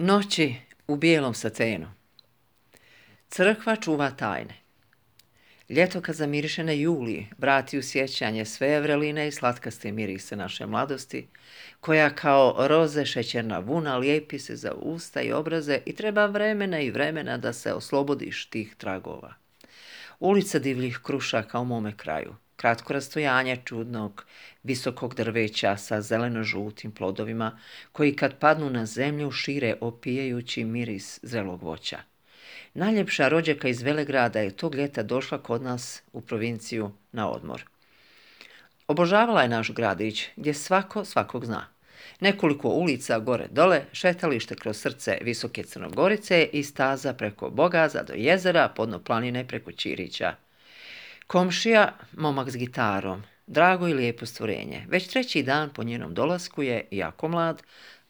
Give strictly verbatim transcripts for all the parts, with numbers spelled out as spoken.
Noći u bijelom satenu. Crkva čuva tajne. Ljeto kad zamiriše na juli, vrati u sjećanje sve vreline i slatkaste mirise naše mladosti, koja kao roze šećerna vuna lijepi se za usta i obraze i treba vremena i vremena da se oslobodiš tih tragova. Ulica divljih krušaka u mome kraju, kratko rastojanje čudnog, visokog drveća sa zeleno-žutim plodovima, koji kad padnu na zemlju šire opijajući miris zrelog voća. Najljepša rođaka iz Velegrada je tog ljeta došla kod nas u provinciju na odmor. Obožavala je naš gradić, gdje svako svakog zna. Nekoliko ulica gore dole, šetalište kroz srce visoke Crnogorice i staza preko Bogaza do jezera, podno planine preko Ćirića. Komšija, momak s gitarom, drago i lijepo stvorenje. Već treći dan po njenom dolasku je, jako mlad,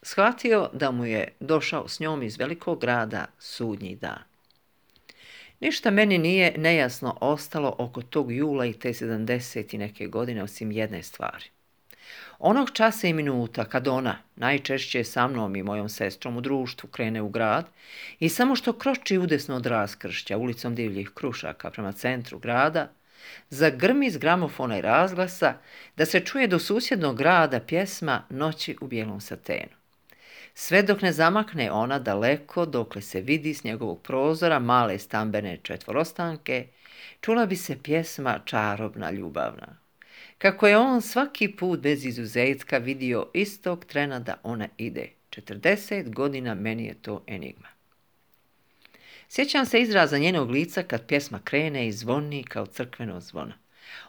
shvatio da mu je došao s njom iz velikog grada sudnji dan. Ništa meni nije nejasno ostalo oko tog jula i te sedamdeset i neke godine osim jedne stvari. Onog časa i minuta kad ona, najčešće sa mnom i mojom sestrom u društvu, krene u grad i samo što kroči udesno od raskršća ulicom divljih krušaka prema centru grada, zagrmi iz gramofona i razglasa da se čuje do susjednog grada pjesma Noći u bijelom satenu. Sve dok ne zamakne ona daleko, dokle se vidi s njegovog prozora male stambene četvorostanke, čula bi se pjesma čarobna, ljubavna. Kako je on svaki put bez izuzetka vidio istog trena da ona ide. četrdeset godina meni je to enigma. Sjećam se izraza njenog lica kad pjesma krene i zvoni kao crkveno zvono.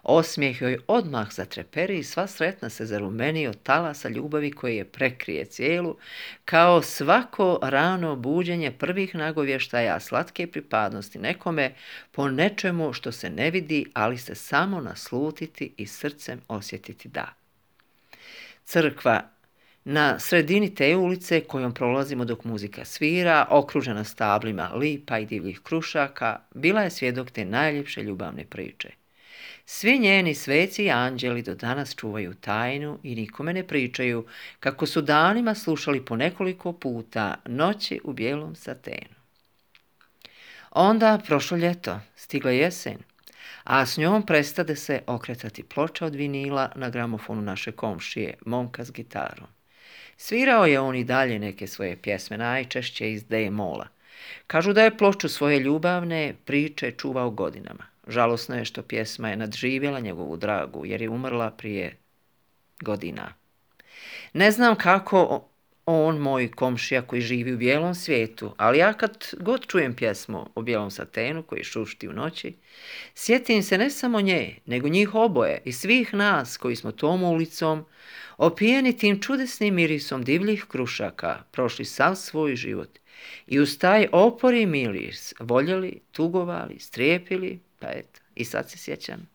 Osmijeh joj odmah zatreperi i sva sretna se zarumeni od talasa ljubavi koje je prekrije cijelu, kao svako rano buđenje prvih nagovještaja slatke pripadnosti nekome po nečemu što se ne vidi, ali se samo naslutiti i srcem osjetiti da. Crkva na sredini te ulice kojom prolazimo dok muzika svira, okružena stablima lipa i divljih krušaka, bila je svjedok te najljepše ljubavne priče. Svi njeni sveci i anđeli do danas čuvaju tajnu i nikome ne pričaju kako su danima slušali po nekoliko puta Noći u bijelom satenu. Onda, prošlo ljeto, stigla jesen, a s njom prestade se okretati ploča od vinila na gramofonu naše komšije, momka s gitarom. Svirao je on i dalje neke svoje pjesme, najčešće iz D-mola. Kažu da je ploču svoje ljubavne priče čuvao godinama. Žalosno je što pjesma je nadživjela njegovu dragu, jer je umrla prije godina. Ne znam kako on, moj komšija koji živi u bijelom svijetu, ali ja kad god čujem pjesmu o bijelom satenu koji šušti u noći, sjetim se ne samo nje, nego njih oboje i svih nas koji smo tom ulicom, opijeni tim čudesnim mirisom divljih krušaka, prošli sav svoj život i uz taj opori miris voljeli, tugovali, strijepili, pa eto, i sad se sjećam